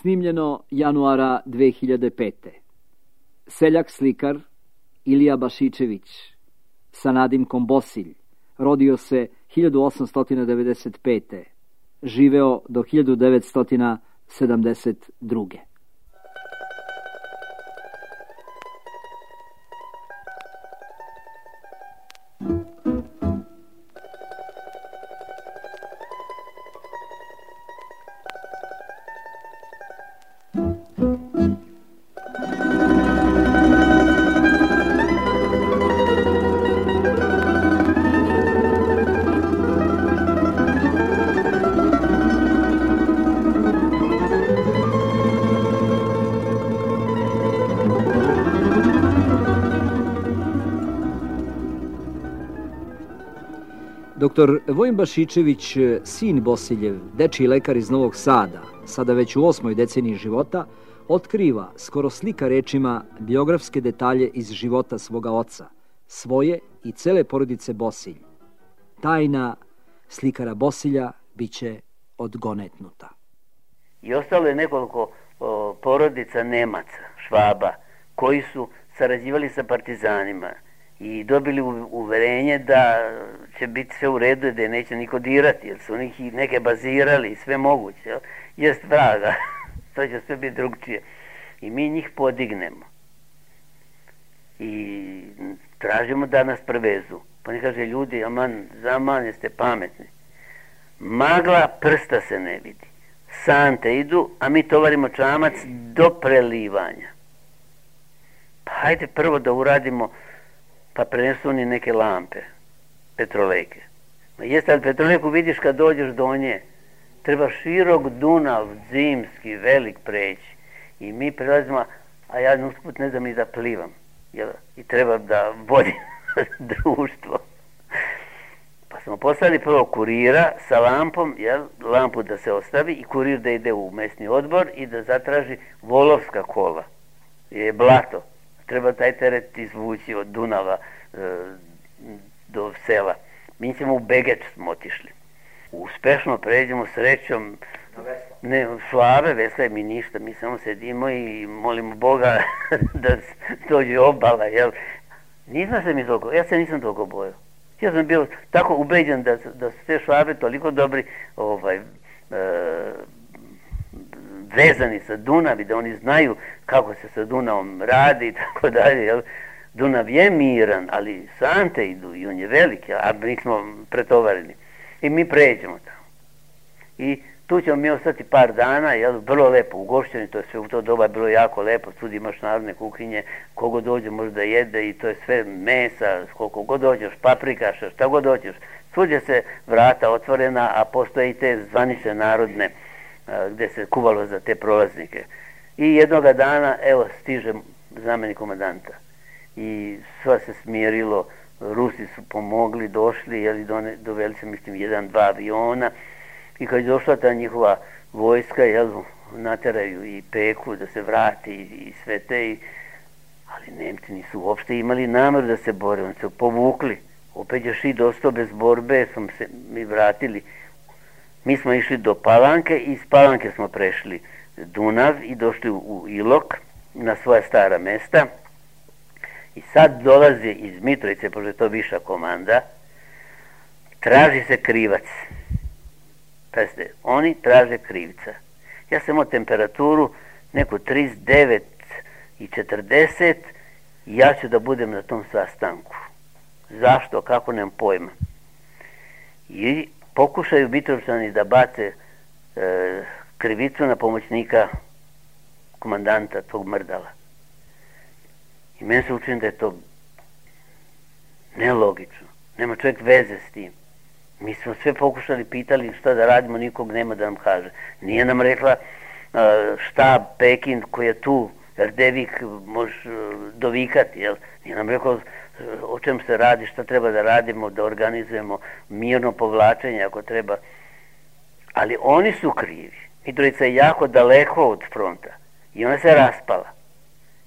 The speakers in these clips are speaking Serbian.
Snimljeno januara 2005. Seljak slikar Ilija Bašičević sa nadimkom Bosilj rodio se 1895. Živeo do 1972. Doktor Vojin Bašičević, sin Bosiljev, dečiji lekar iz Novog Sada, sada već u 8. deceniji života, otkriva, skoro slika rečima, biografske detalje iz života svoga oca, svoje i cele porodice Bosilj. Tajna slikara Bosilja biće odgonetnuta. I ostalo je nekoliko porodica Nemaca, Švaba, koji su sarađivali sa partizanima i dobili uverenje da će biti sve u redu, da je neće niko dirati, jer su njih neke bazirali i sve moguće. Jest vraga, to će sve biti drugčije. I mi njih podignemo. I tražimo da nas prevezu. Pa ne kaže, ljudi, aman, zaman, jeste pametni. Magla, prsta se ne vidi. Sante idu, a mi tovarimo čamac do prelivanja. Pa hajde prvo da uradimo, pa prenesu oni neke lampe, petrolejke. Ma jeste, ali petrolejku vidiš kad dođeš do nje, treba širok Dunav, zimski, velik preći. I mi prelazimo, a ja usput ne znam ni da plivam. I treba da vodim društvo. Pa smo poslali prvo kurira sa lampom, lampu da se ostavi i kurir da ide u mesni odbor i da zatraži volovska kola. Je blato. Treba taj teret izvući od Dunava do sela. Mi ćemo u Begeč smo otišli. Uspešno pređemo srećom. Ne, slave, vesle mi ništa. Mi samo sedimo i molimo Boga da dođe obala. Nisam se mi toliko, ja se nisam toliko bojao. Ja sam bio tako ubeđen da su te Švabe toliko dobri vezani sa Dunavi, da oni znaju kako se sa Dunavom radi i tako dalje. Dunav je miran, ali sante idu i on je veliki, a mi smo pretovareni. I mi pređemo tamo. I tu ćemo mi ostati par dana, vrlo lepo ugošćeni, to je sve u to doba bilo jako lepo, tu imaš narodne kuhinje, kogo dođe može da jede i to je sve mesa, koliko god dođeš, paprikaša, šta god dođeš. Svuđe se vrata otvorena, a postoje i te zvanične narodne gde se kuvalo za te prolaznike. I jednoga dana, evo, stiže zamenik komandanta. I sva se smirilo, Rusi su pomogli, došli, doveli se, mislim, 1-2 aviona. I kad je došla ta njihova vojska, nateraju i Peku da se vrati i sve te. Ali Nemci nisu uopšte imali nameru da se bore, oni se povukli. Opet je Šid ostao bez borbe, smo se mi vratili. Mi smo išli do Palanke i iz Palanke smo prešli Dunav i došli u Ilok na svoja stara mesta. I sad dolaze iz Mitrovice, pošto je to viša komanda, traži se krivac. Pazite, oni traže krivca. Ja sam imao temperaturu neku 39 i 40 i ja ću da budem na tom sastanku. Zašto? Kako? Nemam pojma. I pokušaju Mitrovčani da bace krivicu na pomoćnika komandanta, tog Mrdala. I meni se učini da je to nelogično. Nema čovjek veze s tim. Mi smo sve pokušali, pitali šta da radimo, nikog nema da nam kaže. Nije nam rekla štab Pekin koji je tu, Erdevik možeš dovikati, Nije nam rekao o čem se radi, šta treba da radimo, da organizujemo mirno povlačenje ako treba. Ali oni su krivi. Mitrovica je jako daleko od fronta i ona se raspala.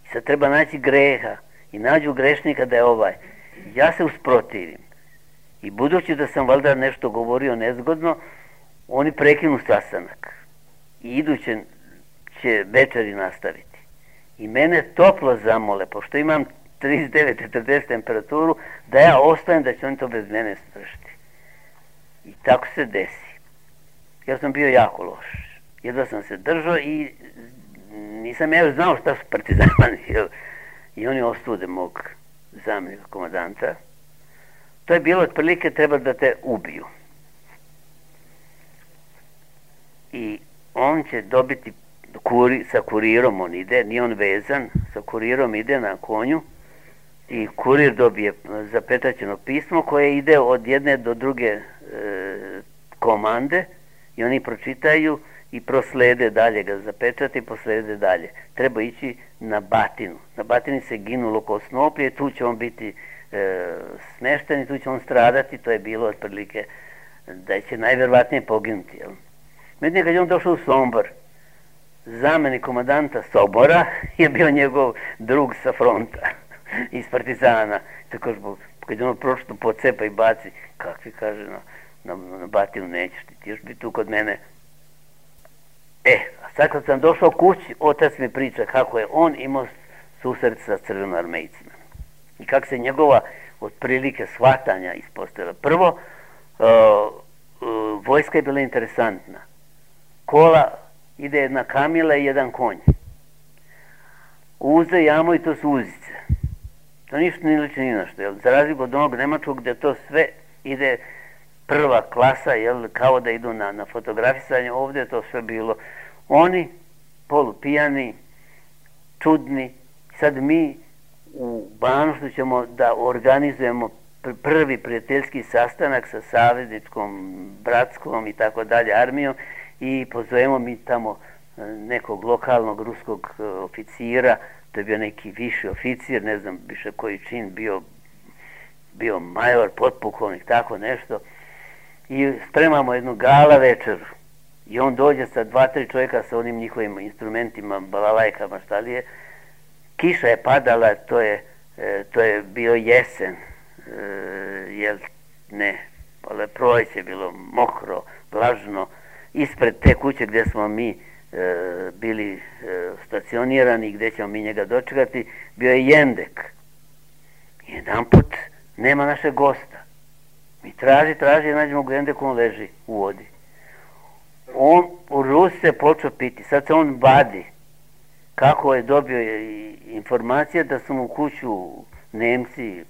I sad treba naći greha i nađu grešnika da je ovaj. Ja se usprotivim. I budući da sam valjda nešto govorio nezgodno, oni prekinu sastanak. I iduće će večeri nastaviti. I mene toplo zamole, pošto imam 39-40 temperaturu, da ja ostajem, da će oni to bez mene stršiti. I tako se desi. Ja sam bio jako loš. Jedva sam se držao i nisam ja još znao šta su partizani. I oni osude mog zamjenika komandanta. To je bilo otprilike treba da te ubiju. I on će dobiti sa kurirom, on ide, nije on vezan, sa kurirom ide na konju i kurir dobije zapečaćeno pismo koje ide od jedne do druge komande i oni pročitaju i proslede dalje, ga zapečati i proslede dalje. Treba ići na Batinu. Na Batini se ginulo oko Snoplje, tu će on biti smešten i tu će on stradati, to je bilo otprilike da će najvjerovatnije poginuti. Međutim, kad je on došao u Sombor, zamjenik komandanta Sobora je bio njegov drug sa fronta iz partizana. Tako kad je ono pročito pocepa i baci, kakvi kaže na Batinu, nećeš ti još biti tu kod mene. A sad kad sam došao kući, otac mi priča kako je on imao susret sa crvenoarmejcima i kako se njegova otprilike shvatanja ispostavila. Prvo, vojska je bila interesantna. Kola ide jedna kamila i jedan konj. Uze, jamo i to su uzice. To ništa ne liči ni na što. Za razliku od onog nemačkog gdje to sve ide prva klasa, kao da idu na fotografisanje, ovdje je to sve bilo. Oni, polupijani, čudni, sad mi u Banuštu ćemo da organizujemo prvi prijateljski sastanak sa savezničkom, bratskom i tako dalje armijom i pozovemo mi tamo nekog lokalnog ruskog oficira, to je bio neki viši oficir, ne znam više koji čin, bio major, potpukovnik, tako nešto, i spremamo jednu gala večeru i on dođe sa 2-3 čovjeka sa onim njihovim instrumentima, balalajkama, šta li je. Kiša je padala, to je bio jesen, proleće je bilo mokro, vlažno. Ispred te kuće gdje smo mi bili stacionirani, gdje ćemo mi njega dočekati, bio je jendek. Jedan put nema našeg gosta. Mi traži, nađemo ga jendeku, on leži u vodi. On u Rusi se počeo piti, sad se on vadi. Kako je dobio informacija da su mu kuću Nemci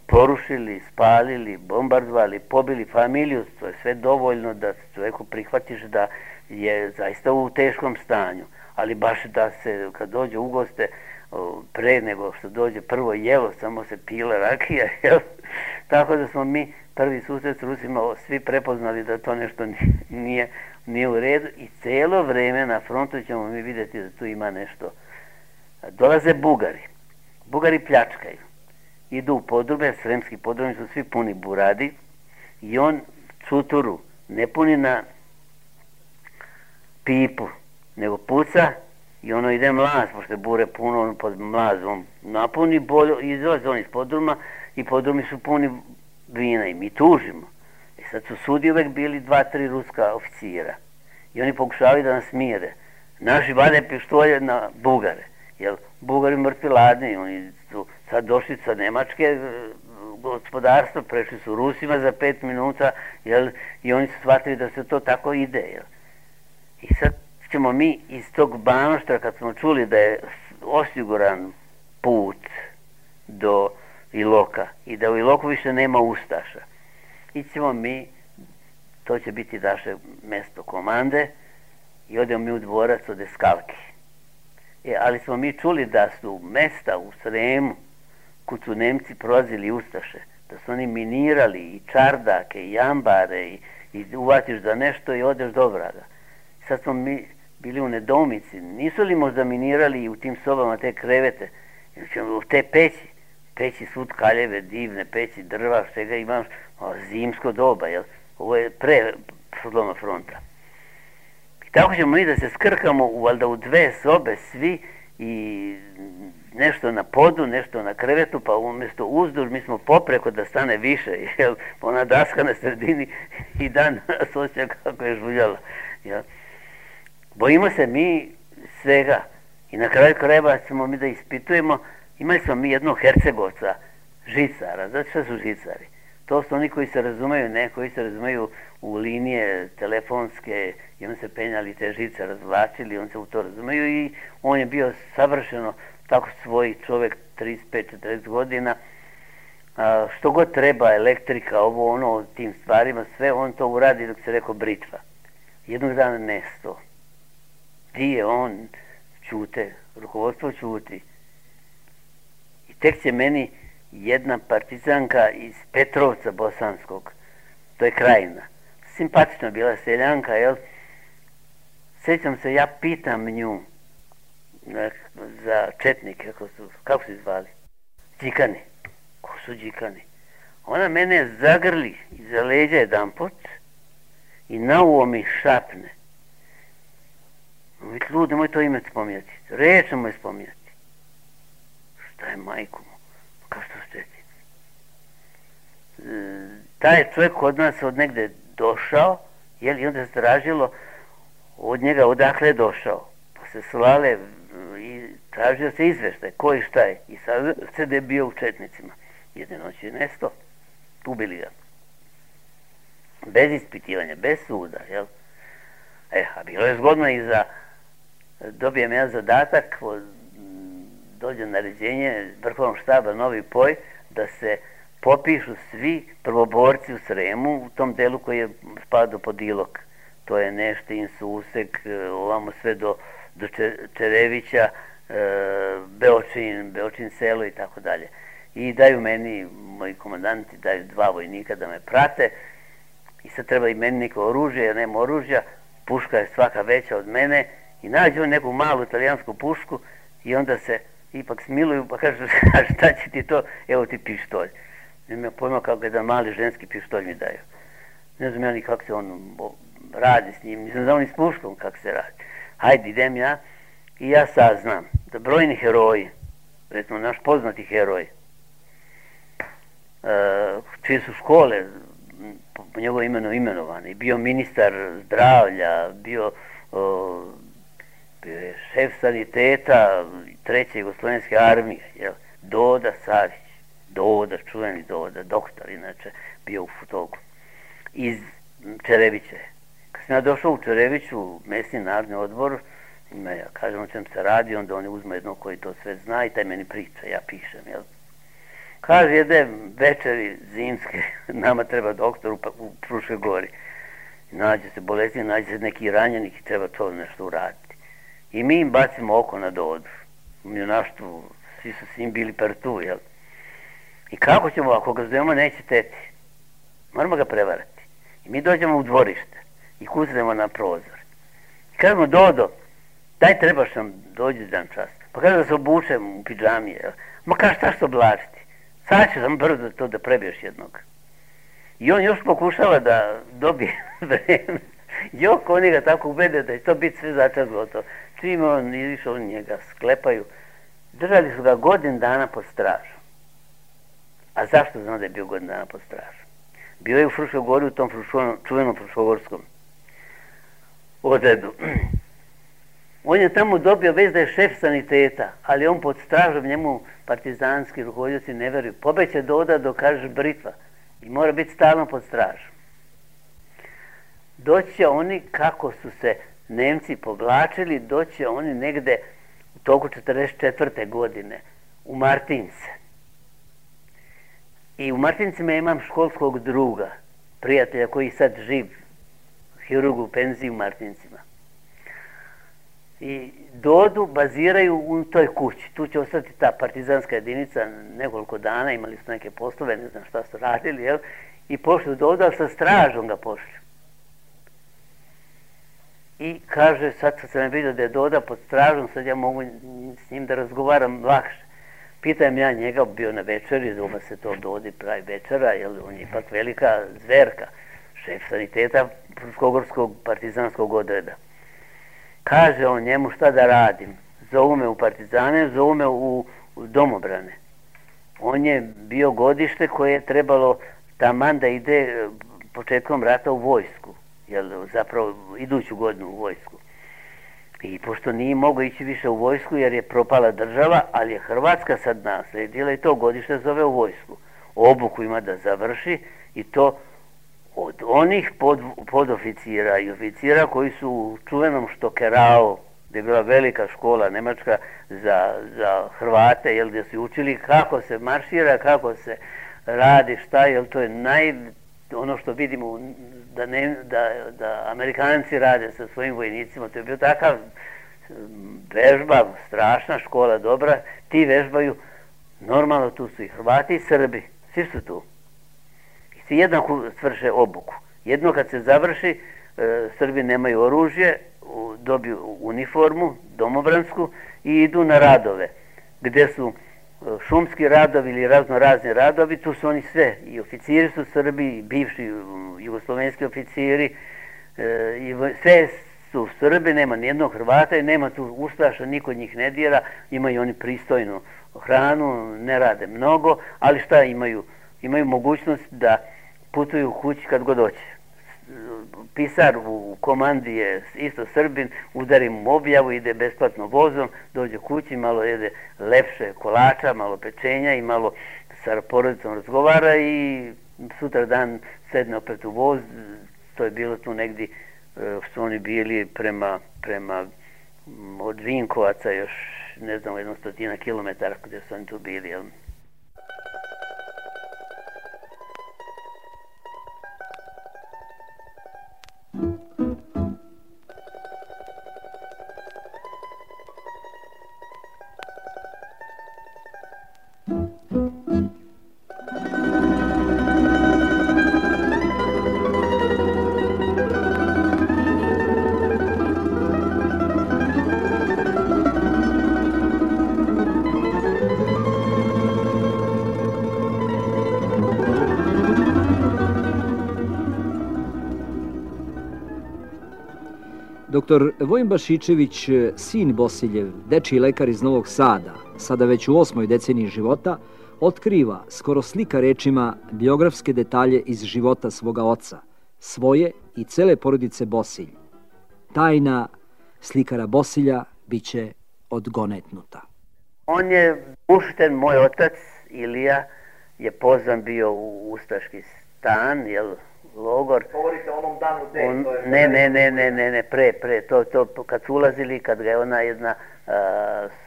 porušili, spalili, bombardovali, pobili familiju, to je sve dovoljno da čovjeku prihvatiš da je zaista u teškom stanju, ali baš da se kad dođe u goste, pre nego što dođe prvo jelo, samo se pila rakija, tako da smo mi prvi susret s Rusima svi prepoznali da to nešto nije u redu i cijelo vrijeme na frontu ćemo mi vidjeti da tu ima nešto. Dolaze Bugari pljačkaju, idu u podrume, sremski podrumi su svi puni buradi i on cuturu ne puni na pipu, nego puca i ono ide mlaz, pošto je bure puno, on pod mlazom napuni bolju, izlaze on iz podruma i podrumi su puni vina i mi tužimo. I sad su sudi uvek bili 2-3 ruska oficira i oni pokušavaju da nas mire. Naši vade pištolje na Bugare, jer Bugari mrtvi ladni, oni su sad došli sa Nemačke gospodarstva, prešli su Rusima za 5 minuta, i oni su shvatili da se to tako ide. I sad ćemo mi iz tog Banoštra, kad smo čuli da je osiguran put do Iloka i da u Iloku više nema ustaša, ićemo mi, to će biti naše mesto komande i odemo mi u dvorac od Eskalki. Ali smo mi čuli da su mesta u Sremu, kud su Nemci prolazili ustaše, da su oni minirali i čardake i ambare i uvatiš za nešto i odeš do vraga. Sad smo mi bili u nedoumici, nisu li možda minirali u tim sobama te krevete, u te peći svud kaljeve, divne peći, drva, svega imaš, zimsko doba, ovo je pre sloma fronta. I tako ćemo mi da se skrkamo valjda u 2 sobe svi i nešto na podu, nešto na krevetu, pa umjesto uzduž mi smo popreko da stane više, ona daska na sredini i dan nas osjeća kako je žuljala. Bojimo se mi svega. I na kraju krajeva ćemo mi da ispitujemo. Imali smo mi jednog Hercegovca, žicara. Znate šta su žicari? To su oni koji se razumeju, ne, koji se razumeju u linije telefonske i on se penjali te žice, razvlačili, on se u to razumeju i on je bio savršeno tako svoj čovjek 35-40 godina. Što god treba, elektrika, ovo, ono, tim stvarima, sve on to uradi dok se rekao britva. Jednog dana nesto. Di je on? Ćute. Rukovodstvo ćuti. I tek će meni jedna partizanka iz Petrovca Bosanskog, to je Krajina, simpatična bila seljanka, jel? Sjećam se, ja pitam nju za četnike, kako su zvali? Đikani. Ko su Đikani? Ona mene zagrli iza leđa jedanput i na uvo mi šapne. Ljudi, nemoj to ime spominjati. Reč nemoj spominjati. Šta je, majku mu? Kao što ste ti? Taj čovjek od nas od negde došao, i onda se tražilo od njega odakle je došao. Pa se slale i tražio se izveštaj, ko i šta je. I sad se da je bio u četnicima. Jedne noći je nesto. Ubili ga. Bez ispitivanja, bez suda, jel? A bilo je zgodno i za... Dobijem ja zadatak, dođe naređenje Vrhovnog štaba Novi Poj, da se popišu svi prvoborci u Sremu, u tom delu koji je spadao pod Ilok. To je Neštin, Susek, ovamo sve do Čerevića, Beočin selo i tako dalje. I daju meni, moji komandanti daju 2 vojnika da me prate i sad treba i meni neko oružje, jer nema oružja, puška je svaka veća od mene i nađu neku malu italijansku pušku i onda se ipak smiluju pa kažu šta će ti to, evo ti pištolj. Nema pojma kako jedan mali ženski pištolj mi daju. Ne znam ja ni kako se on radi s njim, nisam znao ni s puškom kako se radi. Hajde, idem ja i ja saznam da brojni heroji, recimo naš poznati heroj, čije su škole po njegovo imenu imenovane, bio ministar zdravlja, bio je šef saniteta 3. Jugoslovenske armije, jel? Doda Savić, čuveni Doda, doktor inače, bio u Futogu, iz Čerevića. Kad sam ja došao u Čereviću, mesni narodni odbor, ja kažem o čem se radi, onda oni uzme jednog koji to sve zna i taj meni priča, ja pišem, jel? Kaže, jedne večeri zimske, nama treba doktor u Fruškoj Gori. Nađe se bolesnik, nađe se neki ranjenik i treba to nešto uraditi. I mi im bacimo oko na Dodu. U junaštvu, svi su s njim bili partu, jel? I kako ćemo, ako ga zovemo, neće teti. Moramo ga prevarati. I mi dođemo u dvorište i kucnemo na prozor. I kažemo, Dodo, daj trebaš nam, dođi dan čas. Pa kaže da se obučem u pidžamije, jel? Ma kaže, šta što oblačiti? Sad ću sam brzo to da prebiješ jednog. I on još pokušava da dobije vreme. Jok, oni ga tako ubede da će to biti sve začas gotovo. Čim on izišao, njega sklepaju. Držali su ga godinu dana pod stražom. A zašto znam da je bio godinu dana pod stražom? Bio je u Fruškoj Gori, u tom čuvenom Fruškogorskom odredu. On je tamo dobio već da je šef saniteta, ali on pod stražom, njemu partizanski rukovodioci ne veruju. Pobeće Doda dok kaže britva i mora biti stalno pod stražom. Doći će oni, kako su se Nemci povlačili, doći će oni negde u toku 44. godine u Martince. I u Martincima imam školskog druga, prijatelja koji sad živ, hirurg u penziji u Martincima. I Dodu baziraju u toj kući. Tu će ostati ta partizanska jedinica nekoliko dana, imali su neke poslove, ne znam šta su radili, jel? I pošli Dodu, ali sa stražom ga pošli. I kaže, sad sam vidio da je Doda pod stražom, sad ja mogu s njim da razgovaram lakše. Pitam ja njega, bio na večeri, zove se to Dodi pravi večera, jer on je ipak velika zverka, šef saniteta Fruškogorskog partizanskog odreda. Kaže on njemu šta da radim. Zovu me u partizane, zovu me u domobrane. On je bio godište koje je trebalo taman da ide početkom rata u vojsku. Zapravo iduću godinu u vojsku. I pošto nije mogao ići više u vojsku jer je propala država, ali je Hrvatska sad naslijedila i to godište zove u vojsku. Obuku ima da završi i to od onih podoficira i oficira koji su u čuvenom Štokerau, gdje je bila velika škola nemačka za Hrvate, jel, gdje su učili kako se maršira, kako se radi, šta, jel, to je ono što vidimo da Amerikanci rade sa svojim vojnicima, to je bio takav vežba, strašna škola, dobra, ti vežbaju, normalno tu su i Hrvati i Srbi, svi su tu. I svi jednako svrše obuku. Jedno kad se završi, Srbi nemaju oružje, dobiju uniformu, domobransku i idu na radove, gdje su šumski radovi ili razno razni radovi, tu su oni sve, i oficiri su Srbi, i bivši jugoslovenski oficiri, i sve su Srbi, nema nijednog Hrvata i nema tu ustaša, niko njih ne dira, imaju oni pristojnu hranu, ne rade mnogo, ali šta imaju? Imaju mogućnost da putuju kući kad god hoće. Pisar u komandi je isto Srbin, udari mu objavu, ide besplatno vozom, dođe kući, malo jede lepše kolača, malo pečenja i malo sa porodicom razgovara i sutra dan sedne opet u voz. To je bilo tu negdje što oni bili prema od Vinkovaca još ne znam 100 kilometara gdje su oni tu bili, jel? Dr. Vojin Bašičević, sin Bosiljev, dečiji lekar iz Novog Sada, sada već u 8. deceniji života, otkriva, skoro slika rečima, biografske detalje iz života svoga oca, svoje i cele porodice Bosilj. Tajna slikara Bosilja biće odgonetnuta. On je pušten, moj otac Ilija je pozvan bio u ustaški stan, jel, logor. Govorite o onom danu Ne, pre. To kad su ulazili, kad ga je ona jedna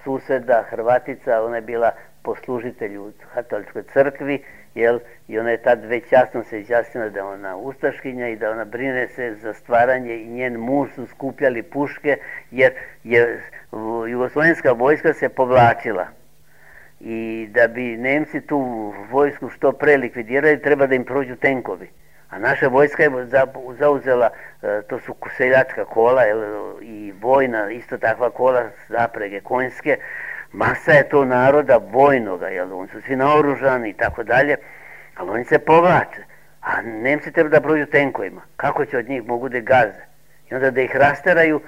suseda, Hrvatica, ona je bila poslužitelj u katoličkoj crkvi, jel, i ona je tad već jasno se izjasnila da je ona ustaškinja i da ona brine se za stvaranje i njen muž su skupljali puške, jer je jugoslovenska vojska se povlačila. I da bi Nemci tu vojsku što pre likvidirali, treba da im prođu tenkovi. A naša vojska je zauzela, to su seljačka kola i vojna, isto takva kola, zaprege konjske. Masa je to naroda vojnoga, oni su svi naoružani i tako dalje, ali oni se povlače. A Nemci treba da prođu tenkovima. Kako će od njih mogu da gaze? I onda da ih rasteraju,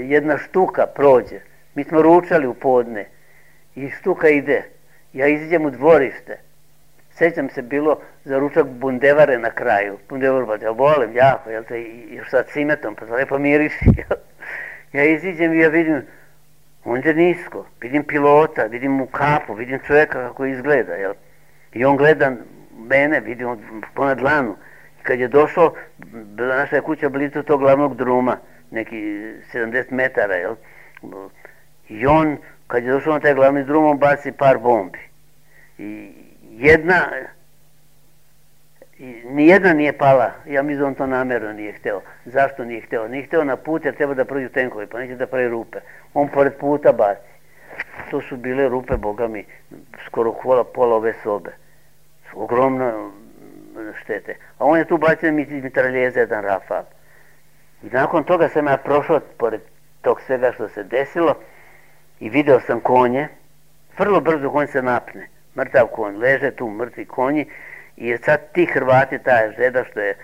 jedna štuka prođe. Mi smo ručali u podne i štuka ide. Ja izađem u dvorište. Sjećam se bilo za ručak bundevare na kraju. Bundevar, pa ja volim jako, još sa cimetom, pa to lepo miriši. Ja iziđem i ja vidim, on je nisko, vidim pilota, vidim mu kapu, vidim čovjeka kako izgleda, jel? I on gleda mene, vidim ponad dlanu. I kad je došao, bila naša kuća blizu tog glavnog druma, neki 70 metara, jel? I on, kad je došao na taj glavni drum, on baci par bombi. I nijedna nije pala, ja mislim da on to namjerno nije hteo. Zašto nije hteo? Nije hteo na put jer treba da prođu tenkovi, pa neće da pravi rupe. On pored puta baci. To su bile rupe, boga mi, skoro pola ove sobe. Ogromno štete. A on je tu bacio mitraljeza jedan Rafal. I nakon toga sam ja prošao pored tog svega što se desilo i video sam konje. Vrlo brzo konj se napne. Mrtav konj, leže tu mrtvi konji i sad ti Hrvati, ta žeda što je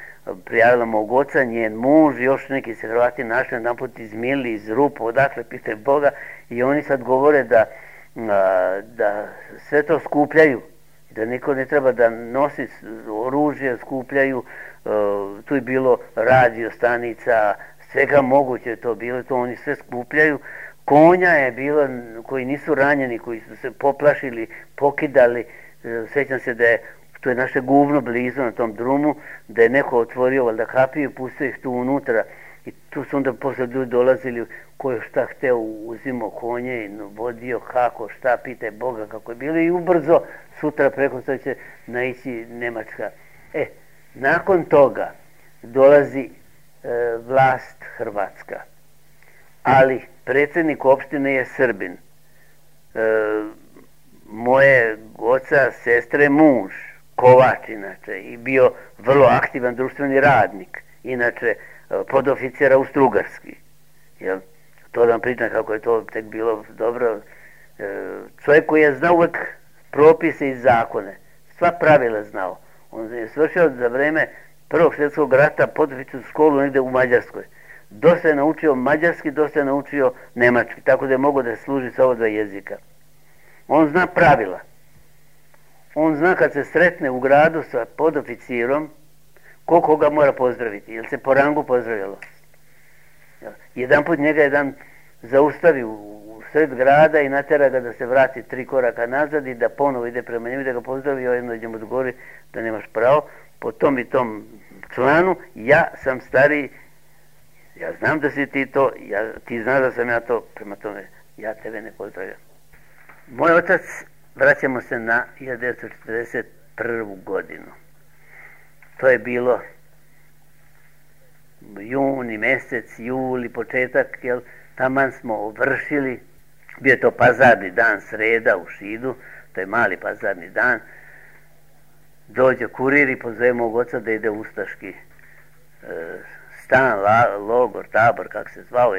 prijavila mog oca, njen muž, još neki se Hrvati našli jedanput izmili iz rupa, odakle pitaj Boga, i oni sad govore da sve to skupljaju, da niko ne treba da nosi oružje, skupljaju, tu je bilo radio stanica, svega moguće je to bilo, to oni sve skupljaju. Konja je bilo koji nisu ranjeni, koji su se poplašili, pokidali. Sjećam se da je, to je naše guvno blizu na tom drumu, da je neko otvorio valjda kapiju i pustio ih tu unutra. I tu su onda posle ljudi dolazili, ko je šta hteo, uzimo konje i vodio kako, šta, pitaj Boga kako je bilo i ubrzo sutra preko što će naići Nemačka. Nakon toga dolazi vlast Hrvatska, ali predsjednik opštine je Srbin. Moje oca, sestre, muž, Kovač inače, i bio vrlo aktivan društveni radnik, inače podoficer Austrougarski. To da vam pričam kako je to tek bilo dobro. Čovjek koji je znao uvijek propise i zakone, sva pravila znao. On je svršio za vreme Prvog svjetskog rata podoficersku školu negdje u Mađarskoj. Dosta je naučio mađarski, dosta je naučio nemački, tako da je mogao da služi sa ova dva jezika. On zna pravila. On zna kad se sretne u gradu sa podoficirom, koliko ga mora pozdraviti, jer se po rangu pozdravljalo. Jedan put njega jedan zaustavi u sred grada i natera ga da se vrati 3 koraka nazad i da ponovo ide prema njemu, da ga pozdravi, jedno da mu odgovori da nemaš pravo. Po tom i tom članu, ja sam stariji, ja znam da si ti to, ti znaš da sam ja to, prema tome ja tebe ne pozdravljam. Moj otac, vraćamo se na 1941. godinu. To je bilo juni mjesec, juli, početak, taman smo vršili, bio je to pazarni dan, sreda u Šidu, to je mali pazarni dan. Dođe kurir i pozove mog oca da ide u ustaški stan, logor, tabor, kako se zvao,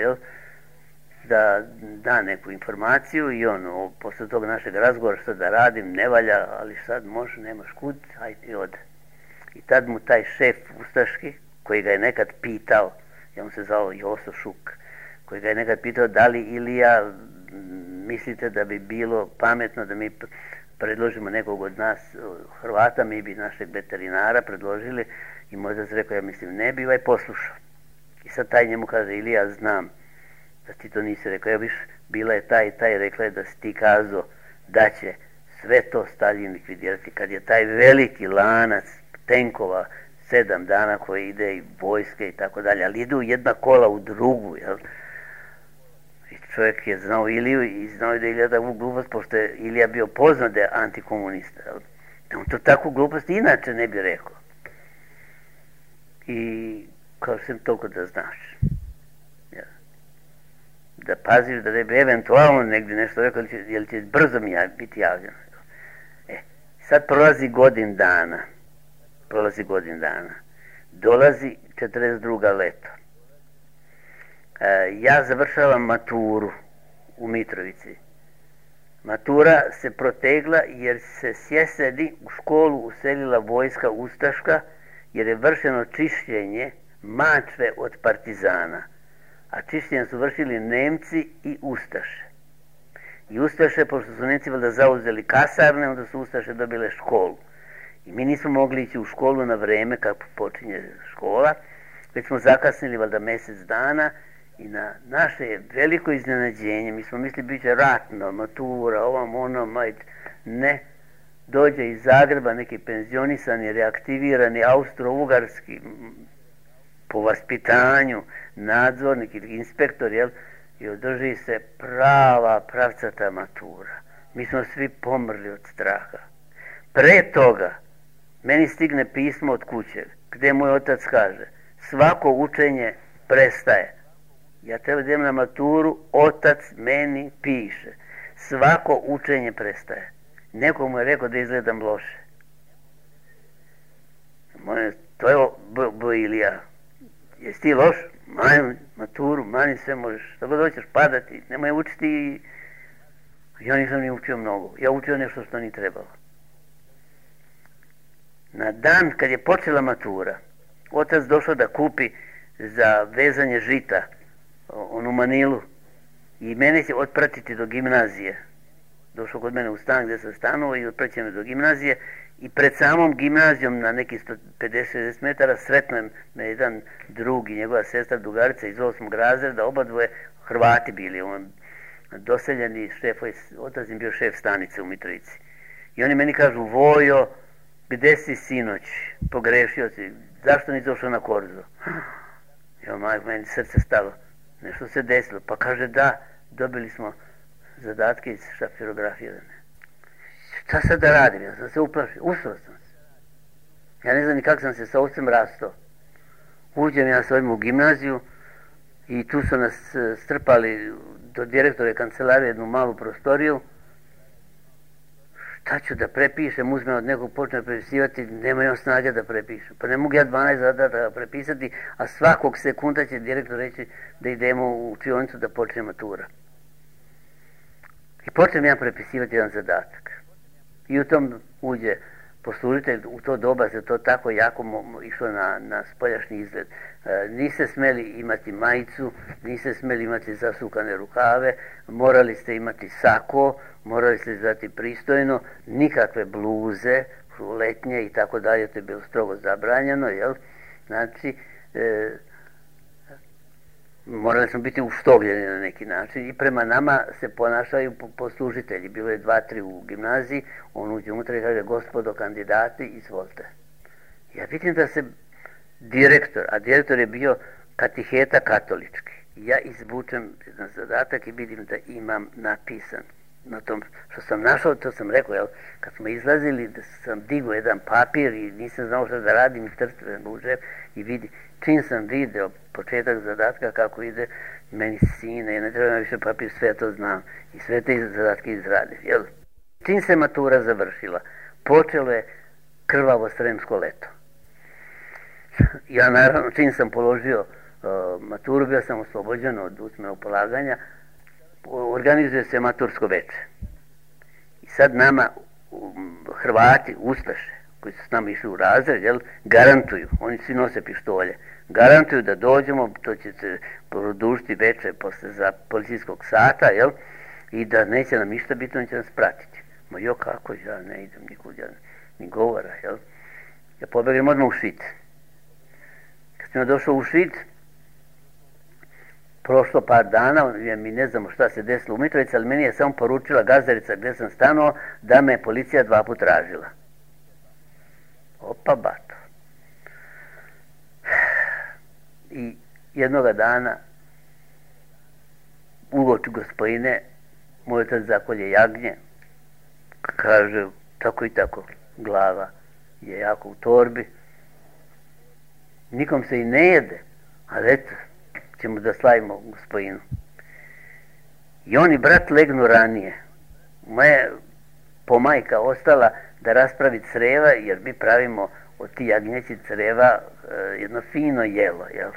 da da neku informaciju i on, posle tog našeg razgovora, što da radim, ne valja, ali sad može, nemaš kud, hajde i ode. I tad mu taj šef ustaški, koji ga je nekad pitao, on se zvao Joso Šuk, koji ga je nekad pitao da li Ilija mislite da bi bilo pametno da mi predložimo nekog od nas Hrvata, mi bi našeg veterinara predložili i možda se rekao, ja mislim, ne bi poslušao. I sad taj njemu kaže, Ilija, znam da ti to nisi rekao, viš, bila je taj i taj, rekla je da si ti kazao da će sve to Staljin likvidirati, kad je taj veliki lanac tenkova 7 dana koji ide i vojske i tako dalje, ali idu jedna kola u drugu, I čovjek je znao Iliju i znao je da je Ilija takvu glupost, pošto je Ilija bio poznat da je antikomunista, On to takvu glupost inače ne bi rekao. I kao sam toliko da znaš. Da paziš da ne bi eventualno negdje nešto rekao, jer će brzo mi biti javljeno. Sad prolazi godin dana. Dolazi 42. leto. Ja završavam maturu u Mitrovici. Matura se protegla jer se s jeseni u školu uselila vojska ustaška, jer je vršeno čišćenje Mačve od partizana. A čišćenje su vršili Nemci i ustaše. I ustaše, pošto su Nemci valjda zauzeli kasarne, onda su ustaše dobile školu. I mi nismo mogli ići u školu na vreme kako počinje škola, već smo zakasnili valjda mjesec dana i na naše veliko iznenađenje, mi smo mislili bit će ratno, matura, ne, dođe iz Zagreba neki penzionisani, reaktivirani, austro-ugarski, po vaspitanju, nadzornik ili inspektor, i održi se pravcata matura. Mi smo svi pomrli od straha. Pre toga, meni stigne pismo od kuće, gdje moj otac kaže, svako učenje prestaje. Ja treba da idem na maturu, otac meni piše, svako učenje prestaje. Neko mu je rekao da izgledam loše. To je Ilija. Jesi ti loš? Mani maturu, mani sve možeš. Što god hoćeš padati, nemoj učiti. Ja nisam ni učio mnogo. Ja učio nešto što ni trebalo. Na dan kad je počela matura, otac došao da kupi za vezanje žita onu manilu i mene će otpratiti do gimnazije. Došao kod mene u stan gdje sam stanuo i otpraćen me do gimnazije I pred samom gimnazijom na neki 50-60 metara sretno me jedan drug i njegova sestra drugarica iz 8. razreda, oba dvoje Hrvati bili, doseljeni šefovi, otac im bio šef stanice u Mitrovici. I oni meni kažu, Vojo, gde si sinoć? Pogrešio si, zašto nisi došao na korzo? Ja, majko, meni srce stalo, nešto se desilo. Pa kaže, da, dobili smo zadatke iz šapirografije. Šta sad da radim? Ja sam se uplašio, usro sam se. Ja ne znam ni kako sam se sa ocem rastao. Uđem ja s ovim u gimnaziju i tu su nas strpali do direktore kancelarije jednu malu prostoriju. Šta ću da prepišem, uzmem od nekog, počne prepisivati, nema on snage da prepišem. Pa ne mogu ja 12 zadataka prepisati, a svakog sekunda će direktor reći da idemo u učionicu da počne matura. I počnem ja prepisivati jedan zadatak. I u tom uđe poslužitelj, u to doba se to tako jako išlo na spoljašnji izgled. Niste smeli imati majicu, niste smeli imati zasukane rukave, morali ste imati sako, morali ste izgledati pristojno, nikakve bluze, letnje i tako dalje, to je bilo strogo zabranjeno, jel? Znači, morali smo biti uštogljeni na neki način i prema nama se ponašaju poslužitelji. Bilo je 2-3 u gimnaziji, on uđe unutra i kaže, gospodo kandidati, izvolite. Ja vidim da se direktor, a direktor je bio katiheta katolički. Ja izvučem jedan zadatak i vidim da imam napisan. Na tom što sam našao, to sam rekao, jel, kad smo izlazili, da sam digao jedan papir i nisam znao što da radim i trčem u džep i vidi, čim sam video početak zadatka kako ide, meni sine, ja ne treba više papir, sve to znam i sve te zadatke izradim, jel? Čim se matura završila, počelo je krvavo sremsko leto. Ja naravno, čim sam položio maturu, bio sam oslobođen od usmenog polaganja, organizuje se matursko veče. I sad nama Hrvati, Uspeše, koji su s nama išli u razred, jel, garantuju, oni svi nose pištolje, garantuju da dođemo, to će se produžiti veče posle za policijskog sata, jel, i da neće nam ništa biti, on će nas pratiti. Ma jo, kako, ja ne idem nikud, ja ni govora, jel. Ja pobegnem odmah u Šid. Kad sam došao u Šid, prošlo par dana, mi ne znamo šta se desilo u Mitrovici, ali meni je samo poručila gazdarica gdje sam stanuo da me je policija 2 puta tražila. Opa, bato. I jednoga dana uoči gospodine, moj otac zakolje jagnje, kaže, tako i tako, glava je jako u torbi, nikom se i ne jede, ali eto, ćemo da slavimo gospodinu. I on i brat legnu ranije. Moja pomajka ostala da raspravi creva, jer mi pravimo od ti jagnjeći creva jedno fino jelo, jel?